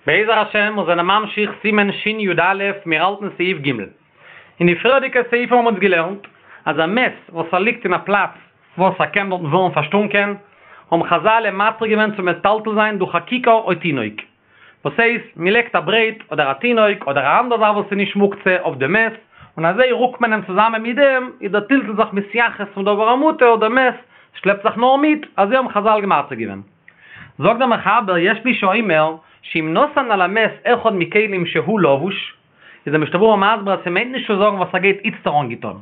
בעזר השם מיר זענען ממשיך סימן שי"א, מיר האלטן סעיף ג'. אין די פריערדיגע סעיפים האבן אונז געלערנט אז א מת וואס ער ליגט אין א פלאץ וואס ער קען דארטן ווערן פארשטונקען, האבן חזל אים מתיר געווען צו מטלטל זיין דורך א כיכר או תינוק. וואס הייסט, מען לייגט א ברעט אדער א תינוק אדער א אנדער זאך וואס איז נישט מוקצה אויף די מת, און אזוי רוקט מען אים צוזאמען מיט דעם, איז דער טלטול זיך מתייחס צום דבר המותר, דער מת שלעפט זיך נאר מיט, אזוי האבן חזל מתיר געווען. זאגט דער מחבר יש מי שאומר שאם נתן על המת אחד מכלים שהוא לבוש, איז דער משנה ברורה מסביר אז ס'מיינט נישט צו זאגן וואס ער גייט איצטער אנגעטון,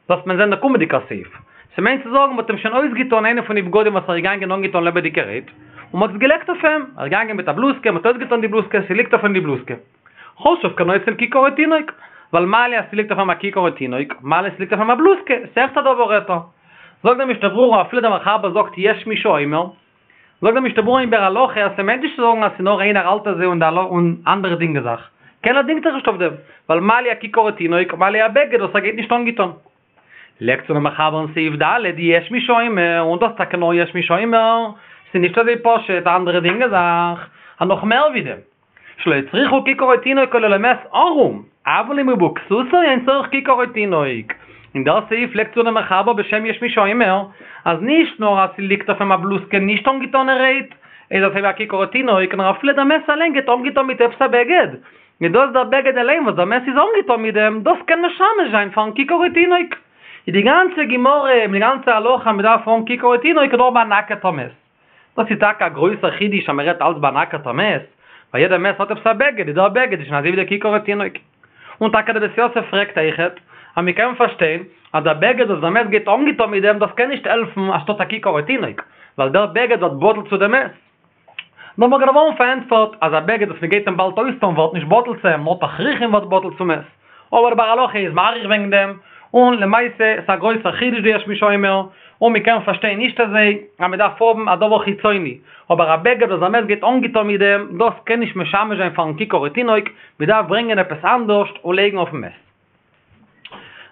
דאס וועט מען זען דער קומענדיגער סעיף, ס'מיינט צו זאגן מ'האט אים שוין אויסגעטון איינע פון די בגדים וואס ער איז געגאנגען אנגעטון לעבעדיגערהייט, און מ'האט עס געלייגט אויף אים, ער איז געגאנגען מיט א בלוזקע, מ'האט אויסגעטון די בלוזקע, ס'ליגט אויף אים די בלוזקע. חשוב כנוטל כיכר או תינוק, ווייל מה לי אז ס'ליגט אויף אים א כיכר או תינוק, מה לי ס'ליגט אויף אים א בלוזקע, ס'אויכעט א דבר היתר. זאגט דער משנה ברורה אפילו דער מחבר זאגט יש מי שאומר, זאגט דער משנה ברורה אין ביאור הלכה אז ס'מיינט נישט צו זאגן אז ס'נאר איינער האלט אזוי און די און אנדערע דינגען זיך, קיינער דינגט זיך נישט אויף דעם, ווייל מה לי א כיכר או תינוק, מה לי א בגד וואס ער גייט נישט אנגעטון. לייגט צו דער מחבר אין סעיף ד' יש מי שאומר, און דאס טאקע נאר יש מי שאומר, ס'איז נישט אזוי פשוט, אנדערע דינגען זיך, אז נאך מער ווי דעם. שלא הצריכו כיכר או תינוק אלא למת ערום, אבל אם הוא בכסותו אין צריך כיכר או תינוק. אין דער סעיף לייגט צו דער מחבר בשם יש מי שאומר, אז נישט נאר אז ס'ליגט אויף אים א בלוזקע נישט אנגעטאנערהייט, איז אזוי ווי א כיכר או תינוק, נאר אפילו דער מת אליין גייט אנגעטאן מיט עפעס א בגד, איז דאס דער בגד אליין וואס דער מת איז אנגעטאן מיט דעם, דאס קען משמש זיין פארן כיכר או תינוק. איז די גאנצע גמרא מיט די גאנצע הלכה אז מ'דארף האבן כיכר או תינוק איז נאר ביי א נאקעטע מת. דאס איז טאקע א גרויסער חידוש אז מען רעדט אלץ ביי א נאקעטע מת, ווייל יעדער מת האט עפעס א בגד, איז דער בגד איז שוין אזוי ווי דער כיכר ותינוק. און טאקע דער בית יוסף פרעגט אויכעט, אז מען קען פארשטיין אז דער בגד וואס דער מת גייט אנגעטון מיט דעם דאס קען נישט העלפן אנשטאט א כיכר ותינוק, ווייל דער בגד ווערט בטל צו דעם מת. דער מגן אברהם פארענטפערט אז א בגד וואס מען גייט אים באלד אויסטון ווערט נישט בטל צו אים, נאר תכריכים ווערט בטל צום מת. אבער דער ביאור הלכה איז מאריך וועגן דעם, און למעשה ס'איז א גרויסער חידוש די יש מי שאומר, און מ'קען פארשטיין נישט אזוי אז מ'דארף האבן א דבר חיצוני, אבער א בגד וואס דער מת גייט אנגעטון מיט דעם, דאס קען נישט משמש זיין פארן כיכר או תינוק, מ'דארף ברענגען עפעס אנדערשט און לייגן אויפן מת.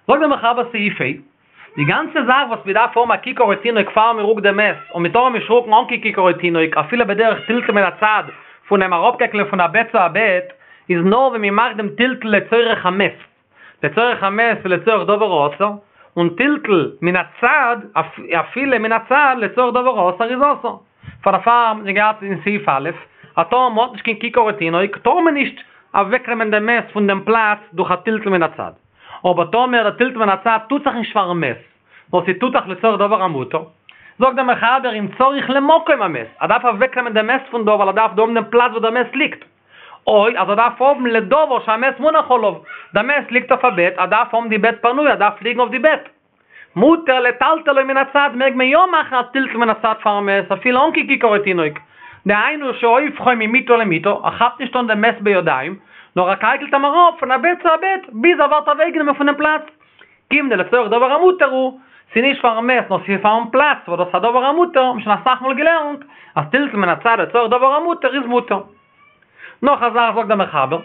זאגט דער מחבר סעיף ה', די גאנצע זאך וואס מ'דארף האבן א כיכר או תינוק פאר מ'רוקט דעם מת, און מ'טאר אים נישט רוקן אן קיין כיכר או תינוק אפילו בדרך טלטול מן הצד פון אים אראפקייקלען פון א בעט צו א בעט, איז נאר ווען מ'מאכט דעם טלטול לצורך המת, לצורך המת ולצורך דבר האסור, און טלטול מן הצד, אפילו מן הצד לצורך דבר האסור איז אסור. פאר דערפאר האבן מיר געהאט אין סעיף א', אז טאמער מ'האט נישט קיין כיכר או תינוק, טאר מען נישט אוועקנעמען דעם מת פון דעם פלאץ דורך א טלטול מן הצד. אבער טאמער דער טלטול מן הצד טוט זיך נישט פארן מת, נאר ס'טוט זיך לצורך דבר המותר, זאגט דער מחבר אם צריך למקום המת, ער דארף אוועקנעמען דעם מת פון דא ווייל ער דארף דא האבן דעם פלאץ וואו דער מת ליגט. או אז ער דארף האבן לדבר שהמת מונח עליו, דער מת ליגט אויף א בעט, ער דארף האבן די בעט פנוי, ער דארף ליגן אויף די בעט. מותר לטלטלו מן הצד, מעג מען יא מאכן א טלטול מן הצד פארן מת, אפילו אן קיין כיכר או תינוק. דהיינו שהופכו ממיטה למיטה, ער כאפט נישט אן דעם מת בידיים, נאר ער קייקלט אים אראפ פון א בעט צו א בעט, ביז ער ווערט אוועקגענומען פונעם פלאץ. כיון דלצורך דבר המותר הוא, ס'איז נישט פארן מת נאר ס'איז פארן פלאץ וואס דאס איז א דבר המותר, האבן שוין אסאך מאל געלערנט אז טלטול מן הצד לצורך דבר המותר איז מותר. נאך א זאך זאגט דער מחבר,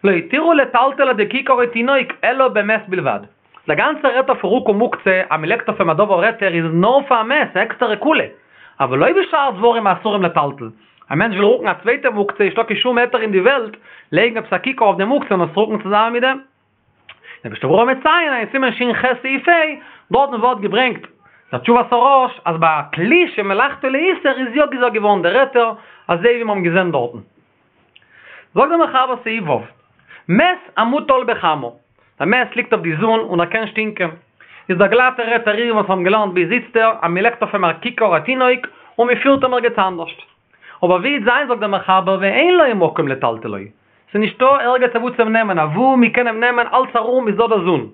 לא התירו לטלטל על ידי כיכר או תינוק אלא במת בלבד. דער גאנצער היתר פון רוקו מוקצה אז מ'לייגט אויף אים א דבר היתר איז נאר פאר א מת, א עקסטערע קולא. אבל לא בשאר דברים האסורים לטלטל. א מענטש וויל רוקן א צווייטע מוקצה איז נישטא קיין שום היתר אין די וועלט לייגן עפעס א כיכר אויף די מוקצה און עס רוקן צוזאמען מיט דעם. דער משנה ברורה מציין אין סימן ש"ח סעיף ה', דארטן ווערט געברענגט דער תשובת הרא"ש אז ביי א כלי שמלאכתו לאיסור איז יא געזאגט געווארן דער היתר אזוי ווי מיר האבן געזען דארטן. זאגט דער מחבר סעיף ו', מת המוטל בחמה, דער מת ליגט אויף די זון און ער קען שטינקען, איז דער גלאטער היתר ווי מיר האבן געלערנט ביז איצטער אז מען לייגט אויף אים א כיכר א תינוק און מען פירט אים ערגעץ אנדערשט. אבער ווי וועט זיין זאגט דער מחבר ואין לו מקום לטלטלו, ס'איז נישטא ערגעץ אוואו צו אים נעמען, אוואו מ'קען אים נעמען אלץ ארום איז דא די זון.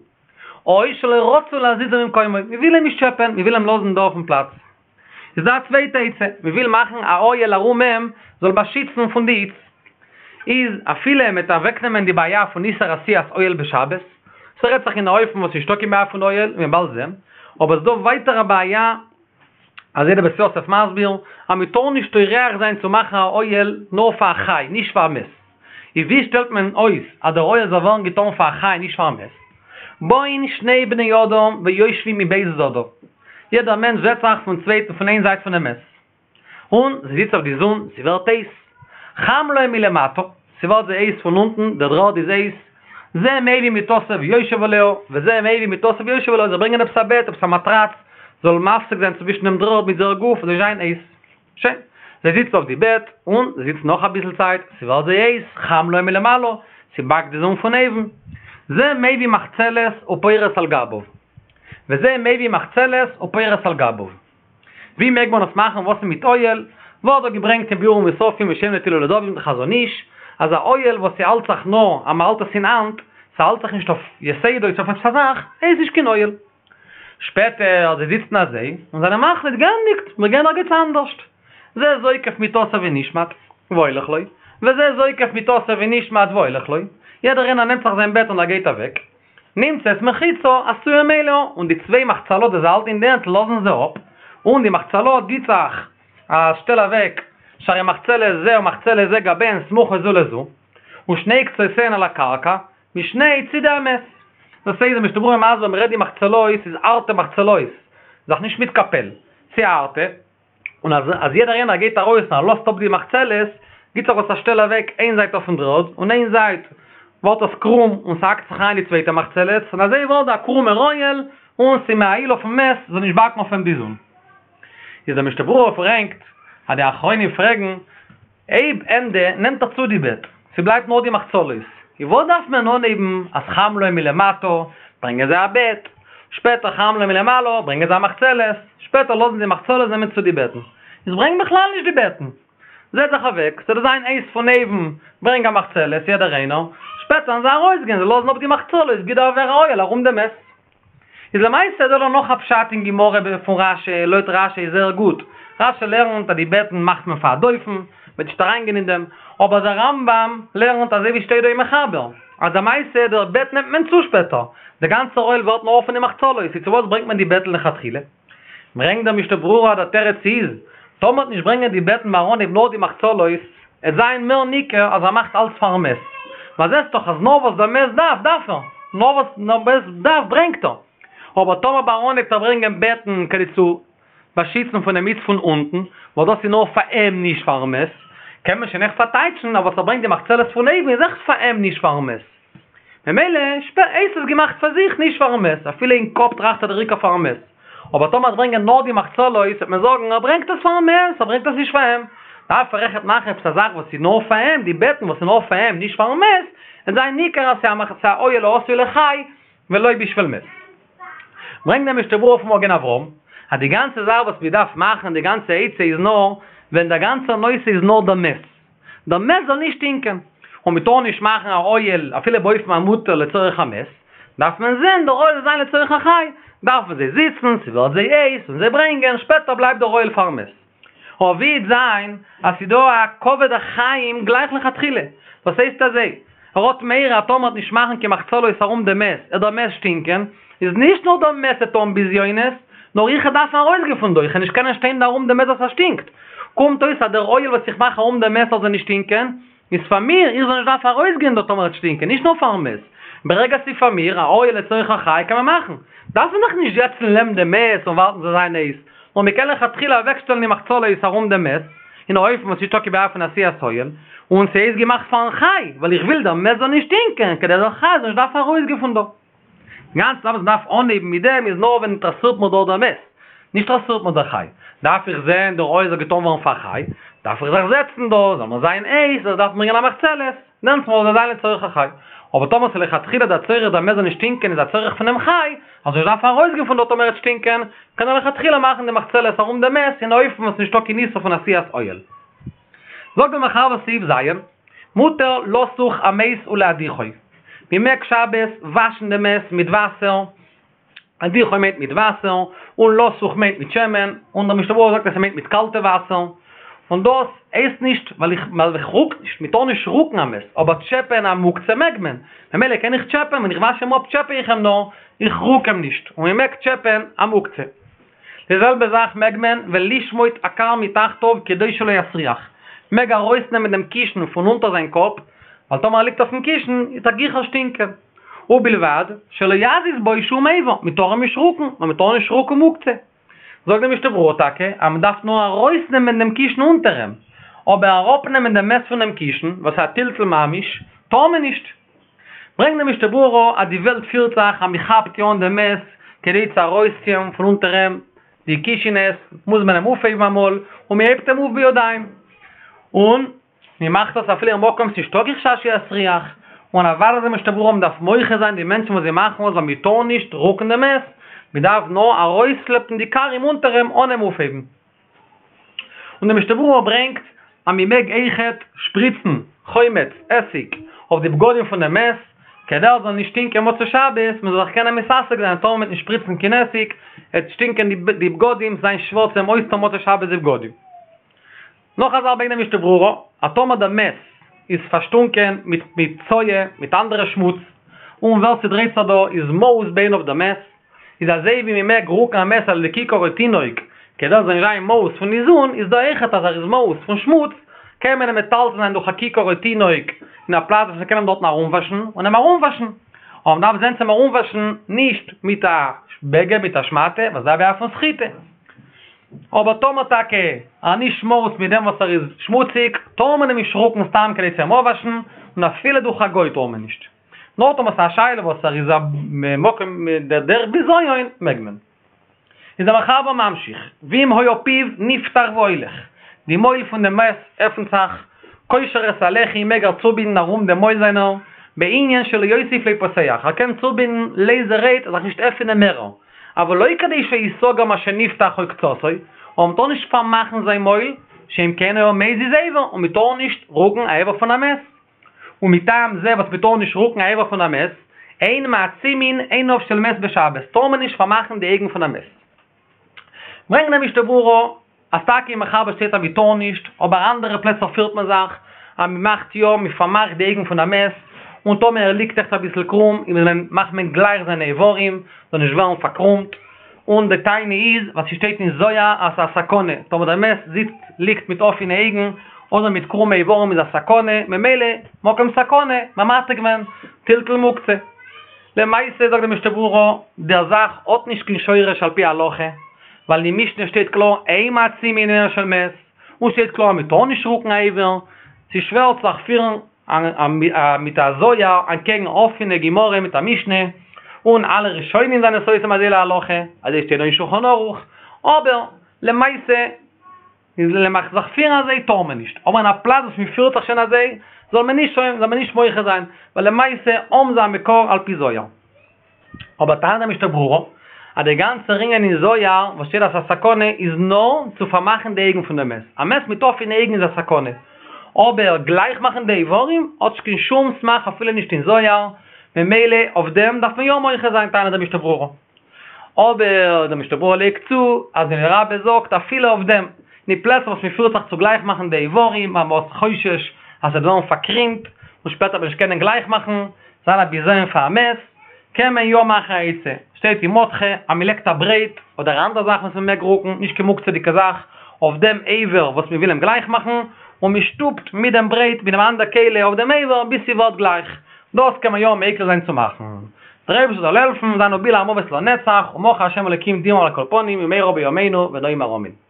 או שלא רצו להזיזו ממקומו, מ'וויל אים נישט טשעפען, מ'וויל אים לאזן דא אויפן פלאץ. איז דא א צווייטע עצה, מ'וויל מאכן א אוהל ארום אים, זאל באשיצן פון די היץ. איז אפילו מ'וועט אוועקנעמען די בעיה פון איסור עשיית אוהל בשבת, ס'רעדט זיך אין א אופן וואס נישטא קיין בעיה פון אוהל, ווי מ'וועט באלד זען, אבער ס'דא ווייטער א בעיה, אזוי דער בית יוסף מסביר אז מען טאר נישט טורח זיין צו מאכן א אוהל נאר פאר א חי נישט פאר א מת, איז ווי שטעלט מען אויס אז דער אוהל זאל ווערן געטאן פאר א חי נישט פאר א מת? באין שני בני אדם ויושבים מב' צדדיו, יעדער מענטש זעצט זיך פון צווייטן פון איין זייט פונעם מת, און זי זיצט אויף די זון, ס'ווערט הייס, חם להם מלמטה, ס'ווערט זיי הייס פון אונטן, דער דר'ערד איז הייס, זה מביא מטתו ויושב עליה, וזה מביא מטתו ויושב עליה, זיי ברענגען עפעס א בעט, עפעס א מאטראץ, זאל מפסיק זיין צווישן דעם דר'ערד מיט זייער גוף, זאל נישט זיין הייס. שוין. זיי זיצן אויף די בעט, און זיי זיצן נאך אביסל צייט, ס'ווערט זיי הייס, חם להם מלמעלה, ס'באקט די זון פון אויבן. זה מביא מחצלת ופורס על גביו. וזה מביא מחצלת ופורס על גביו. ווי מעג מען עס מאכן וואס איז מיט אוהל? ווערט דא געברענגט אין ביאורים מוספים בשם נטילה לדוד חזון איש, אז א אוהל וואס ס'האלט זיך נאר אז מ'האלט עס אין האנט, ס'האלט זיך נישט אויף יתדות אויף עפעס א זאך, איז נישט קיין אוהל. שפעטער זיי זיצן אזוי און זענען מחליט גענדיגט מיר גייען ערגעץ אנדערשט. זה זוקף מטתו ונשמט והולך לו, וזה זוקף מטתו ונשמט והולך לו, יעדער איינער נעמט זיך זיין בעט און ער גייט אוועק. נמצאת מחיצה עשויה מאליה, און די צוויי מחצלות וואס זיי האלטן אין די הענט לאזן זיי אפ, און די מחצלות גיט זיך א שטעל אוועק, שהרי מחצלת זה ומחצלת זה גביהן סמוכות זו לזו, ושני קצותיהן על הקרקע, משני צידי המת. דאס הייסט די משנה ברורה מסביר מ'רעדט די מחצלות איז הארטע מחצלות, זיך נישט מתקפל, ס'איז הארטע, און אז אז יעדער איינער גייט ארויס און ער לאזט אפ די מחצלת, גיט זיך עס א שטעל אוועק איין זייט אויפן דר'ערד, און איין זייט ווערט עס קרום און ס'האקט זיך אריין די צווייטע מחצלת, און אזוי ווערט דא א קרומער אוהל, און ס'איז מאהיל אויפן מת זאל נישט באקן אויף אים די זון. איז דער משנה ברורה ברענגט אז די אחרונים פרעגן, אויב ענדע נעמט ער צו די בעט, ס'בלייבט נאר די מחצלות, איז וואס דארף מען אנהייבן אז חם להם מלמטה, ברענגען זיי א בעט, שפעטער חם להם מלמעלה, ברענגען זיי א מחצלת, שפעטער לאזן די מחצלות נעמען צו די בעטן. איז ברענג בכלל נישט די בעטן. זעץ זיך אוועק, ס'זאל זיין הייס פון אויבן, ברענג א מחצלת, יעדער איינער, שפעטער וועלן זיי ארויסגיין, זיי לאזן אפ די מחצלות, גיט דער ווער א אוהל ארום דעם מת. איז למעשה דא נאך א פשט אין גמרא פון רשי, לויט רשי איז זייער גוט, רשי לערנט אז די בעטן מאכט מען פאר א דופן, מ'וועט נישט אריינגיין אין דעם, אבער דער רמב ם לערנט אזוי ווי שטייט דא אין מחבר, אז למעשה דער בעט נעמט מען צו שפעטער, דער גאנצער אוהל ווערט נאר פון די מחצלות, איז צו וואס ברענגט מען די בעטן לכתחילה? ברענגט דער משנה ברורה אז דער תירוץ איז, טאמער מ'וועט נישט ברענגען די בעטן ביים אנהייב נאר די מחצלות, עט זיין מער ניכר אז ער מאכט אלץ פארן מת, ווייל זעסט דאך אז נאר וואס דער מת דארף דארף ער, נאר וואס דער מת דארף ברענגט ער, אבער טאמער ביים אנהייב וועט ער ברענגען בעטן כדי צו באשיצן פונעם היץ פון אונטן, ווייל דאס איז נאר פאר אים נישט פארן מת, קען מען שוין עכט פארטייטשן אז וואס ער ברענגט די מחצלת פון אויבן איז עכט פאר אים נישט פארן מת. ממילא הייסט עס געמאכט פאר זיך נישט פארן מת, אפילו אין קאפ טראכט ער דער עיקר פארן מת. אבער טאמער ער וועט ברענגען נאר די מחצלות וועט מען זאגן ער ברענגט עס פארן מת, ער ברענגט עס נישט פאר אים. דארף ער עכט מאכן עפעס א זאך וואס איז נאר פאר אים, די בעטן וואס איז נאר פאר אים נישט פארן מת, וועט זיין ניכר אז ס'איז א אוהל העשוי לחי ולא בשביל מת. ברענגט דער משנה ברורה פון מגן אברהם אז די גאנצע זאך וואס מ'דארף מאכן די גאנצע עצה איז נאר ווען דער גאנצער נושא איז נאר דער מת. דער מת זאל נישט שטינקען, און מען טאר נישט מאכן א אוהל אפילו באופן המותר לצורך המת, דארף מען זען דער אוהל זאל זיין לצורך החי, דארפן זיי זיצן, ס'ווערט זיי הייס, און זיי ברענגען, שפעטער בלייבט דער אוהל פארן מת. אבער ווי וועט זיין אז ס'איז דא א כבוד החיים גלייך לכתחילה, וואס הייסט אזוי, ער האט מורא אז טאמער מ'וועט נישט מאכן קיין מחצלות ארום דעם מת, עט דער מת שטינקען, איז נישט נאר דער מת עט האבן בזיונות, נאר איך וועל דארפן ארויסגיין פון דא, איך וועל נישט קענען שטיין דא ארום דעם מת וואס ער שטינקט. קומט אויס אז דער אוהל וואס איך מאך ארום דעם מת זאל נישט שטינקען, איז פאר מיר, איך זאל נישט דארפן ארויסגיין דא טאמער ער וועט שטינקען, נישט נאר פארן מת. ברגע ס'איז פאר מיר, א אוהל לצורך החי קען מען מאכן. דארף מען דאך נישט זעצן לעבן דעם מת און ווארטן ס'זאל זיין הייס, נאר מ'קען לכתחילה אוועקשטעלן די מחצלות ארום דעם מת, אין א אופן וואס נישטא קיין בעיה פון עשיית אוהל, און ס'איז געמאכט פארן חי, ווייל איך וויל דער מת זאל נישט שטינקען, כדי דער חי זאל נישט דארפן ארויסגיין פון דא. גאנץ וואס מ'דארף אנהייבן מיט דעם איז נאר ווען אינטערעסירט מיר דארט דער מת, נישט אינטערעסירט מיר דער חי. דארף איך זען דער אוהל זאל געטאן ווערן פאר חי, דארף איך זיך זעצן דא, זאל מיר זיין הייס, איך דארף ברענגען א מחצלת, דענסטמאל זאל זיין לצורך החי. אבער טאמער ס'איז לכתחילה דער צורך דער מת זאל נישט שטינקען איז א צורך פונעם חי, אז איך דארף ארויסגיין פון דארט טאמער ער וועט שטינקען, קען ער לכתחילה מאכן די מחצלת ארום דעם מת אין א אופן וואס נישטא קיין איסור פון עשיית אוהל. זאגט דער מחבר סעיף ז', מותר לסוך המת ולהדיחו, מען מעג שבת וואשן דעם מת מיט וואסער, הדיחו מיינט מיט וואסער, און לסוך מיינט מיט שמן, און דער משנה ברורה זאגט אז ס'מיינט מיט קאלטע וואסער, און דאס הייסט נישט ווייל איך ווייל איך רוק נישט, מען טאר נישט רוקן א מת, אבער טשעפען א מוקצה מעג מען, ממילא קען איך טשעפען, ווען איך וואש אים אפ טשעפע איך אים נאר, איך רוק אים נישט, און מען מעג טשעפען א מוקצה. די זעלבע זאך מעג מען ולשמוט הכר מתחתיו כדי שלא יסריח, מעג ארויסנעמען דעם קישן פון אונטער זיין קאפ, ווייל טאמער ער ליגט אויפן קישן וועט ער גיכער שטינקען. ובלבד שלא יזיז בו שום איבר, מען טאר אים נישט רוקן, ווייל מען טאר נישט רוקן מוקצה. זאגט די משנה ברורה טאקע אז מען דארף נאר ארויסנעמען דעם קישן אונטער אים, אבער אראפנעמען דעם מת פונעם קישן, וואס איז א טלטול ממש, טאר מען נישט. ברענגט דער משנה ברורה אז די וועלט פירט זיך אז מען כאפט יא אן דעם מת כדי צו ארויסציען פון אונטער אים די קישינעס, מוז מען אים אויפהייבן אמאל, און מען הייבט אים אויף בידיים, און מען מאכט דאס אפילו אין מקום ס'נישטא קיין חשש שיסריח, און אוודאי זאגט דער משנה ברורה מען דארף מוחה זיין די מענטשן וואס זיי מאכן עס ווייל מען טאר נישט רוקן דעם מת, מען דארף נאר ארויסשלעפן די כרים אונטער אים אן אים אויפהייבן. און די משנה ברורה ברענגט אז מען מעג אויכעט שפריצן חומץ, עסיג, אויף די בגדים פון דעם מת, כדי ער זאל נישט שטינקען מוצאי שבת, מען זאל זיך קענען מתעסק זיין, טאמער מען וועט נישט שפריצן קיין עסיג, וועט שטינקען די בגדים, זיין שווער צו אים אויסטון מוצאי שבת די בגדים. נאך א זאך ברענגט די משנה ברורה, אז טאמער דער מת איז פארשטונקען מיט מיט צואה, מיט אנדערע שמוץ, און ווער ס'דרייט זיך דא איז מאוס בעיניו דער מת, איז אזוי ווי מ'מעג רוקן א מת על ידי כיכר או תינוק, כדי ער זאל נישט זיין מאוס פון די זון, איז דא אויכעט אז ער איז מאוס פון שמוץ, קען מען אים מטלטל זיין דורך א כיכר או תינוק אין א פלאץ וואס מ'קען אים דארטן ארומוואשן, און אים ארומוואשן. אבער מ'דארף זען צו אים ארומוואשן נישט מיט א בגד מיט א שמאטע, וואס דא בעיה פון סחיטה. אבער טאמער טאקע ער נישט מאוס מיט דעם וואס ער איז שמוציג, טאר מען אים נישט רוקן סתם כדי צו אים אפוואשן, און אפילו דורך א גוי טאר מען נישט. נאר טאמער ס'איז א שאלה וואס ער איז א מקום דער דרך בזיון, מעג מען. איז דער מחבר ממשיך, ואם היה פיו נפתח והולך, די מויל פון דעם מת עפנט זיך, קושר את הלחי מעג ער צובינדן ארום דעם מויל זיינער, בענין שלא יוסיף להיפתח, ער קען צובינדן לייזערהייט זיך נישט עפענען מערער, אבל לא כדי שיסגר מה שנפתח או קצתו, אבער מ'טאר נישט פארמאכן זיין מויל, שאם כן היה מזיז אבר, און מ'טאר נישט רוקן א אבר פון א מת. ומטעם זה וואס מ'טאר נישט רוקן א אבר פון א מת, אין מעצימין עיניו של מת בשבת, טאר מען נישט פארמאכן די אויגן פון א מת. ברענגט דער משנה ברורה אז טאקע אין מחבר שטייט אז מ'טאר נישט, אבער אנדערע פלעצער פירט מען זיך אז מ'מאכט יא, מ'פארמאכט די אויגן פון א מת, און טאמער ער ליגט עכט אביסל קרום איז מען מאכט מען גלייך זיינע איברים, זאל נישט ווערן פארקרומט, און די טענה איז ווייל ס'שטייט אין זוהר אז ס'איז א סכנה, טאמער דער מת זיצט ליגט מיט אפענע אויגן אדער מיט קרומע איברים איז א סכנה, ממילא מקום סכנה, ממתיק געווען, טלטול מוקצה. למעשה זאגט די משנה ברורה, דער זאך האט נישט קיין שורש על פי הלכה, ווייל אין משנה שטייט קלאר אין מעצימין עיניו של מת, און שטייט קלאר אז מ'טאר נישט רוקן א אבר, ס'איז שווער צו זיך פירן מיט א זוהר אנטקעגן אפענע גמרא מיט א משנה, און אלע ראשונים זענען סותם אזוי להלכה, אזוי שטייט דא אין שולחן ערוך, אבער למעשה איז למח זיך פירן אזוי טאר מען נישט, אבער אין א פלאץ וואס מען פירט זיך שוין אזוי זאל מען נישט זאל מען נישט מוחה זיין, ווייל למעשה האבן זיי א מקור על פי זוהר. אבער טענה'ט דער משנה ברורה אז דער גאנצער ענין אין זוהר וואס שטייט אז ס'איז א סכנה איז נאר צו פארמאכן די אויגן פון דעם מת, א מת מיט אפענע אויגן איז א סכנה, אבער גלייך מאכן די איברים האט נישט קיין שום סמך אפילו נישט אין זוהר, ממילא אויף דעם דארף מען יא מוחה זיין טענה'ט דער משנה ברורה. אבער דער משנה ברורה לייגט צו אז די רבי זאגט אפילו אויף דעם, אין די פלעצער וואס מען פירט זיך צו גלייך מאכן די איברים ווייל מען האט חושש אז ס'וועט ווערן פארקרימט און שפעטער וועט מען נישט קענען גלייך מאכן, זיין א בזיון פאר א מת, קען מען יא מאכן א עצה, שטייט אין מרדכי אז מען לייגט א ברעט אדער א אנדערע זאך וואס מען מעג רוקן, נישט קיין מוקצה'דיגע זאך, אויף דעם אבר וואס מען וויל אים גלייך מאכן, און מען שטופט מיט דעם ברעט מיט דעם אנדער כלי אויף דעם אבר ביז ס'ווערט גלייך, דאס קען מען יא מיקל זיין צו מאכן. דער אייבערשטער זאל העלפן, זיין ובלע המוות לנצח, ומחה ה' אלוקים דמעה מעל כל פנים, במהרה בימינו ונאמר אמן.